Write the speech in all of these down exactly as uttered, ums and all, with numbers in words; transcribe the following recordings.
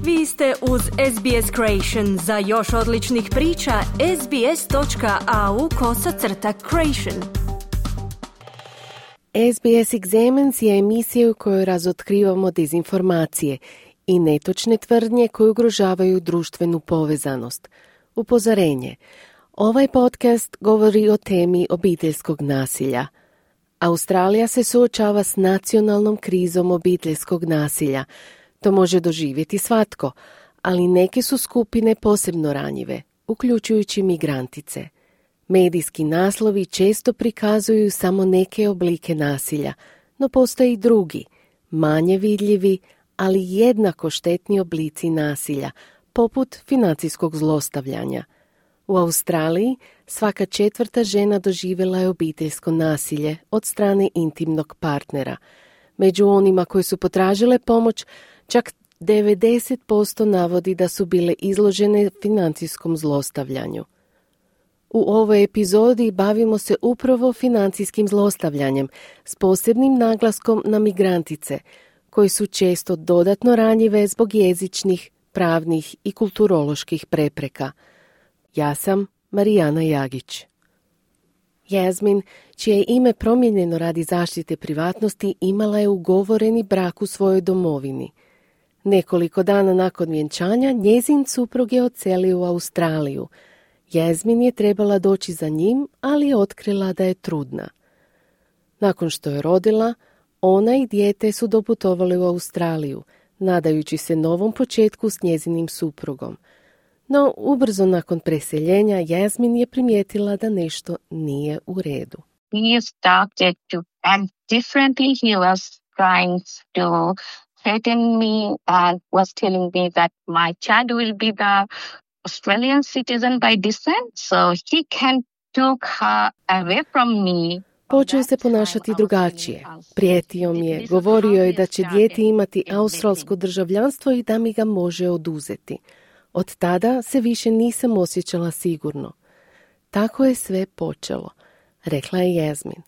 Vi ste uz S B S Creation. Za još odličnih priča, sbs.au kosacrta creation. S B S Examines je emisija u kojoj razotkrivamo dezinformacije i netočne tvrdnje koje ugrožavaju društvenu povezanost. Upozorenje. Ovaj podcast govori o temi obiteljskog nasilja. Australija se suočava s nacionalnom krizom obiteljskog nasilja. To može doživjeti svatko, ali neke su skupine posebno ranjive, uključujući migrantice. Medijski naslovi često prikazuju samo neke oblike nasilja, no postoje i drugi, manje vidljivi, ali jednako štetni oblici nasilja, poput financijskog zlostavljanja. U Australiji svaka četvrta žena doživjela je obiteljsko nasilje od strane intimnog partnera. Među onima koji su potražile pomoć, čak devedeset posto navodi da su bile izložene financijskom zlostavljanju. U ovoj epizodi bavimo se upravo financijskim zlostavljanjem s posebnim naglaskom na migrantice, koji su često dodatno ranjive zbog jezičnih, pravnih i kulturoloških prepreka. Ja sam Marijana Jagić. Jasmin, čije je ime promijenjeno radi zaštite privatnosti, imala je ugovoreni brak u svojoj domovini. Nekoliko dana nakon vjenčanja njezin suprug je odselio u Australiju. Jasmin je trebala doći za njim, ali je otkrila da je trudna. Nakon što je rodila, ona i dijete su doputovali u Australiju, nadajući se novom početku s njezinim suprugom. No, ubrzo nakon preseljenja, Jasmin je primijetila da nešto nije u redu. He started to act differently. He was trying to threaten me and was telling me that my child will be the Australian citizen by descent, so he can took her away from me. Počeo se ponašati drugačije. Prijetio mi je, govorio je da će dijete imati australsko državljanstvo i da mi ga može oduzeti. Od tada se više nisam osjećala sigurno. Tako je sve počelo, rekla je Jasmin.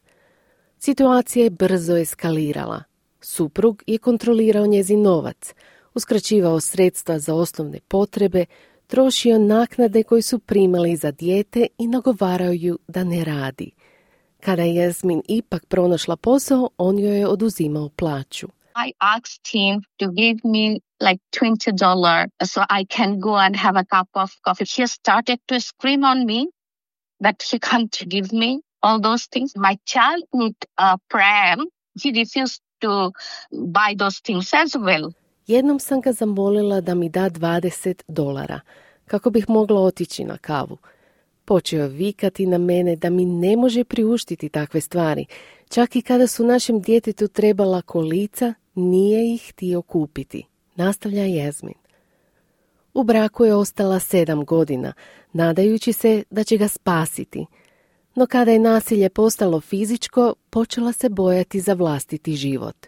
Situacija je brzo eskalirala. Suprug je kontrolirao njezin novac, uskraćivao sredstva za osnovne potrebe, trošio naknade koje su primali za dijete i nagovarao ju da ne radi. Kada je Jasmin ipak pronašla posao, on joj je oduzimao plaću. I asked him to give me like twenty dollars so I can go and have a cup of coffee. He started to scream on me that he can't give me all those things. My child need a pram. He refused to buy those things as well. Jednom sam ga zamolila da mi da dvadeset dolara, kako bih mogla otići na kavu. Počeo vikati na mene da mi ne može priuštiti takve stvari. Čak i kada su našem djetetu trebala kolica, nije ih htio kupiti, nastavlja Jasmin. U braku je ostala sedam godina, nadajući se da će ga spasiti. No kada je nasilje postalo fizičko, počela se bojati za vlastiti život.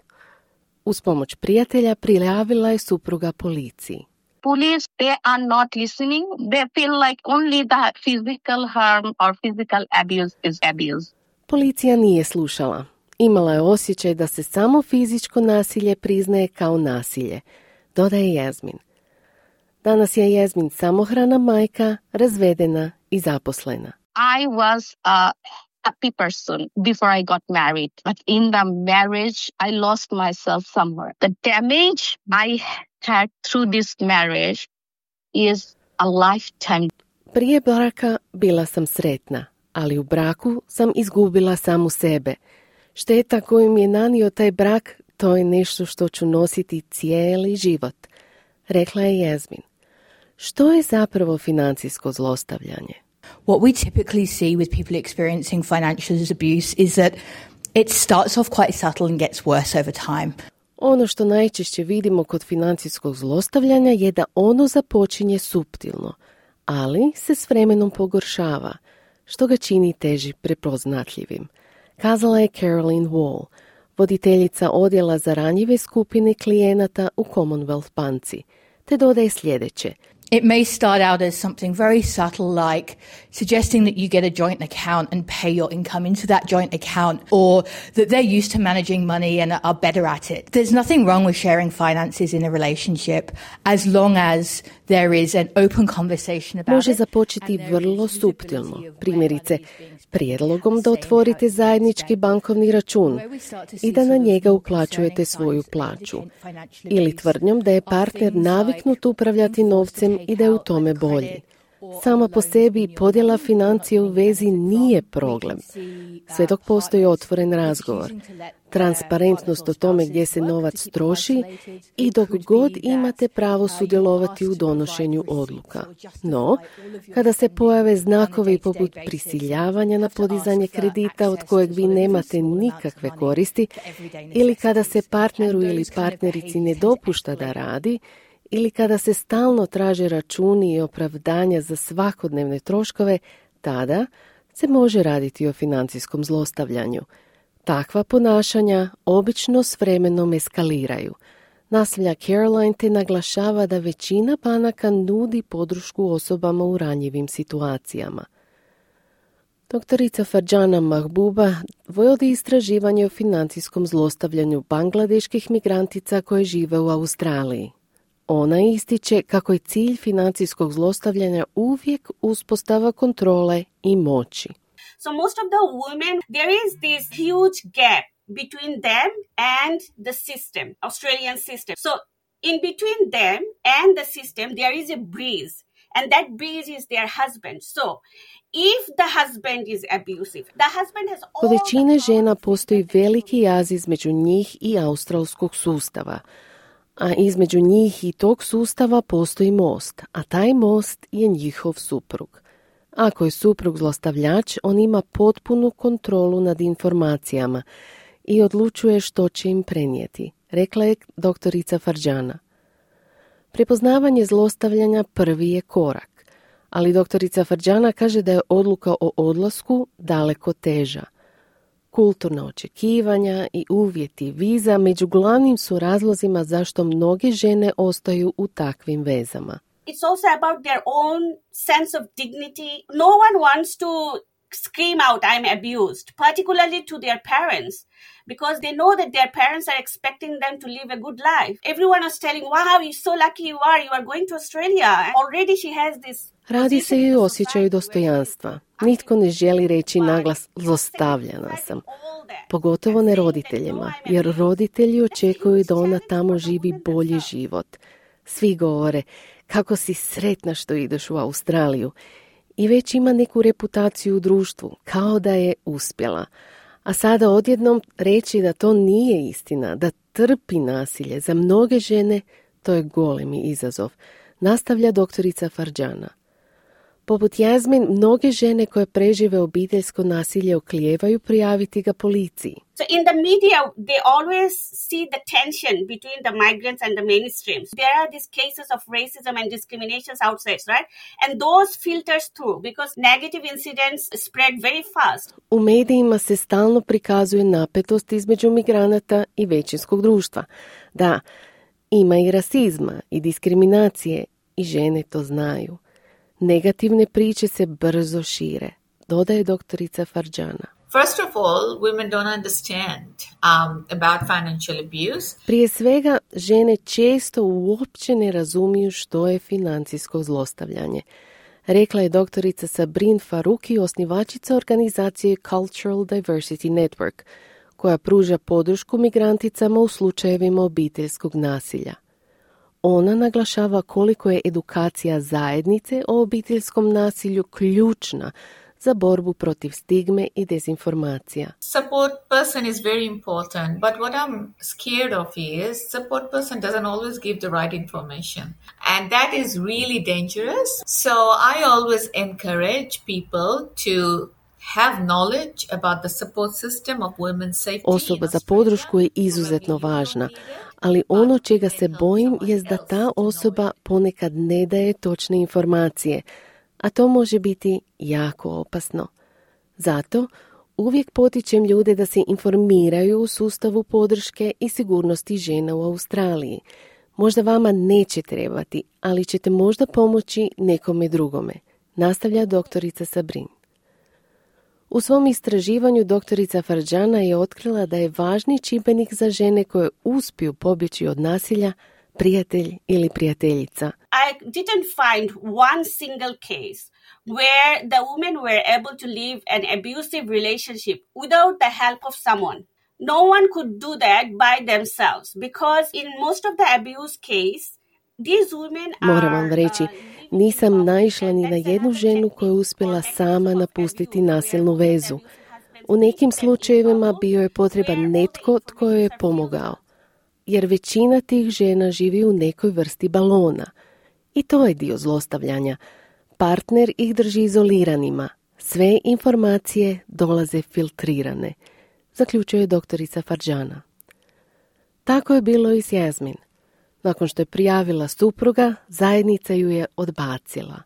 Uz pomoć prijatelja prijavila je supruga policiji. Police, they are not listening. They feel like only the physical harm or physical abuse is abuse. Policija nije slušala. Imala je osjećaj da se samo fizičko nasilje priznaje kao nasilje, dodaje Jasmin. Danas je Jasmin samohrana majka, razvedena i zaposlena. I was a happy person before I got married, but in the marriage I lost myself somewhere. The damage I had through this marriage is a lifetime. Prije braka bila sam sretna, ali u braku sam izgubila samu sebe. Šteta koju mi je nanio taj brak, to je nešto što ću nositi cijeli život, rekla je Jasmin. Što je zapravo financijsko zlostavljanje? What we typically see with people experiencing financial abuse is that it starts off quite subtle and gets worse over time. Ono što najčešće vidimo kod financijskog zlostavljanja je da ono započinje suptilno, ali se s vremenom pogoršava, što ga čini teži prepoznatljivim, kazala je Caroline Wall, voditeljica odjela za ranjive skupine klijenata u Commonwealth banci, te dodaje sljedeće. It may start out as something very subtle, like suggesting that you get a joint account and pay your income into that joint account, or that they're used to managing money and are better at it. There's nothing wrong with sharing finances in a relationship as long as there is an open conversation about it. Može započeti vrlo suptilno, primjerice prijedlogom da otvorite zajednički bankovni račun i da na njega uplaćujete svoju plaću, ili tvrdnjom da je partner naviknut upravljati novcem i da je u tome bolji. Sama po sebi podjela financija u vezi nije problem, sve dok postoji otvoren razgovor, transparentnost o tome gdje se novac troši i dok god imate pravo sudjelovati u donošenju odluka. No, kada se pojave znakovi poput prisiljavanja na podizanje kredita od kojeg vi nemate nikakve koristi, ili kada se partneru ili partnerici ne dopušta da radi, ili kada se stalno traže računi i opravdanja za svakodnevne troškove, tada se može raditi o financijskom zlostavljanju. Takva ponašanja obično s vremenom eskaliraju. Nastavlja Caroline te naglašava da većina banaka nudi podršku osobama u ranjivim situacijama. Doktorica Farjana Mahbuba vodi istraživanje o financijskom zlostavljanju bangladeških migrantica koje žive u Australiji. Ona ističe kako je cilj financijskog zlostavljanja uvijek uspostava kontrole i moći. So most of the women, there is this huge gap between them and the system, Australian system. So in between them and the system, there is a breeze. And that breeze is their husband. So if the husband is abusive, the husband has all... Kod većine žena postoji veliki jaz između njih i australskog sustava. A između njih i tog sustava postoji most, a taj most je njihov suprug. Ako je suprug zlostavljač, on ima potpunu kontrolu nad informacijama i odlučuje što će im prenijeti, rekla je doktorica Farjana. Prepoznavanje zlostavljanja prvi je korak, ali doktorica Farjana kaže da je odluka o odlasku daleko teža. Kulturna očekivanja i uvjeti viza među glavnim su razlozima zašto mnoge žene ostaju u takvim vezama. It's also about their own sense of dignity. No one wants to scream out, I'm abused, particularly to their parents, because they know that their parents are expecting them to live a good life. Everyone is telling, wow, you're so lucky you are, you are going to Australia. Already she has this... Radi se i o osjećaju dostojanstva. Nitko ne želi reći naglas zlostavljana sam. Pogotovo ne roditeljima, jer roditelji očekuju da ona tamo živi bolji život. Svi govore kako si sretna što ideš u Australiju i već ima neku reputaciju u društvu, kao da je uspjela. A sada odjednom reći da to nije istina, da trpi nasilje, za mnoge žene to je golemi izazov, nastavlja doktorica Farjana. Poput Jasmin, mnoge žene koje prežive obiteljsko nasilje oklijevaju prijaviti ga policiji. So in the media, they always see the tension between the migrants and the mainstreams. There are these cases of racism and discriminations outside, right? And those filters through because negative incidents spread very fast. U medijima se stalno prikazuje napetost između migranata i većinskog društva. Da, ima i rasizma i diskriminacije i žene to znaju. Negativne priče se brzo šire, dodaje doktorica Farjana. First of all, women don't understand um, about financial abuse. Prije svega, žene često uopće ne razumiju što je financijsko zlostavljanje, rekla je doktorica Sabrin Faruqi, osnivačica organizacije Cultural Diversity Network, koja pruža podršku migranticama u slučajevima obiteljskog nasilja. Ona naglašava koliko je edukacija zajednice o obiteljskom nasilju ključna za borbu protiv stigme i dezinformacija. Support person is very important, but what I'm scared of is support person doesn't always give the right information. And that is really dangerous. So I always encourage people to have knowledge about the support system of women's safety. Osoba za podršku je izuzetno važna, ali ono čega se bojim je da ta osoba ponekad ne daje točne informacije, a to može biti jako opasno. Zato uvijek potičem ljude da se informiraju u sustavu podrške i sigurnosti žena u Australiji. Možda vama neće trebati, ali ćete možda pomoći nekome drugome, nastavlja doktorica Sabrin. U svom istraživanju doktorica Farjana je otkrila da je važni čimbenik za žene koje uspiju pobjeći od nasilja prijatelj ili prijateljica. I didn't find one single case where the women were able to live an abusive relationship without the help of someone. No one could do that by themselves because in most of the abuse case, these women are... Moram vam reći, nisam naišla ni na jednu ženu koja je uspjela sama napustiti nasilnu vezu. U nekim slučajevima bio je potreban netko tko joj je pomogao, jer većina tih žena živi u nekoj vrsti balona. I to je dio zlostavljanja. Partner ih drži izoliranima. Sve informacije dolaze filtrirane, zaključuje doktorica Farjana. Tako je bilo i s Jasmin. Nakon što je prijavila supruga, zajednica ju je odbacila,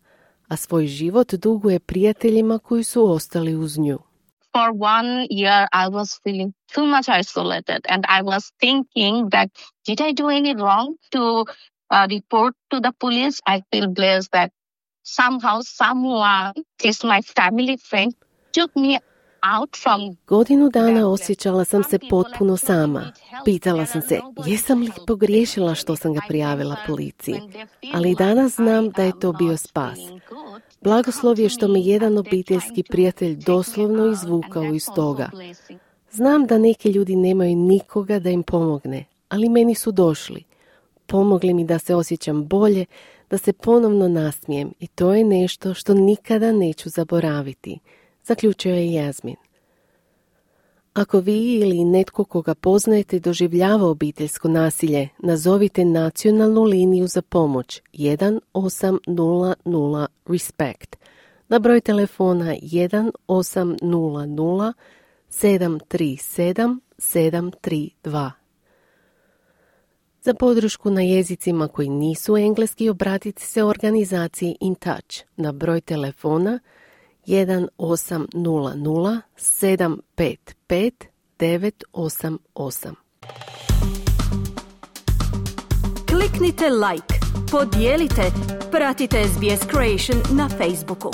a svoj život duguje prijateljima koji su ostali uz nju. For one year, I was feeling too much isolated, and I was thinking that did I do any wrong to uh, report to the police? I feel blessed that somehow someone, is my family friend, took me out from... Godinu dana osjećala sam se potpuno sama. Pitala sam se, jesam li pogriješila što sam ga prijavila policiji? Ali danas znam da je to bio spas. Blagoslov je što me jedan obiteljski prijatelj doslovno izvukao iz toga. Znam da neki ljudi nemaju nikoga da im pomogne, ali meni su došli. Pomogli mi da se osjećam bolje, da se ponovno nasmijem i to je nešto što nikada neću zaboraviti, zaključio je Jasmin. Ako vi ili netko koga poznajete doživljava obiteljsko nasilje, nazovite nacionalnu liniju za pomoć jedan osam nula nula respect na broj telefona jedan osam nula nula sedam tri sedam sedam tri dva. Za podršku na jezicima koji nisu engleski obratite se organizaciji In Touch na broj telefona jedan osam nula nula sedam pet pet devet osam osam. Kliknite like, podijelite, pratite S B S Creation na Facebooku.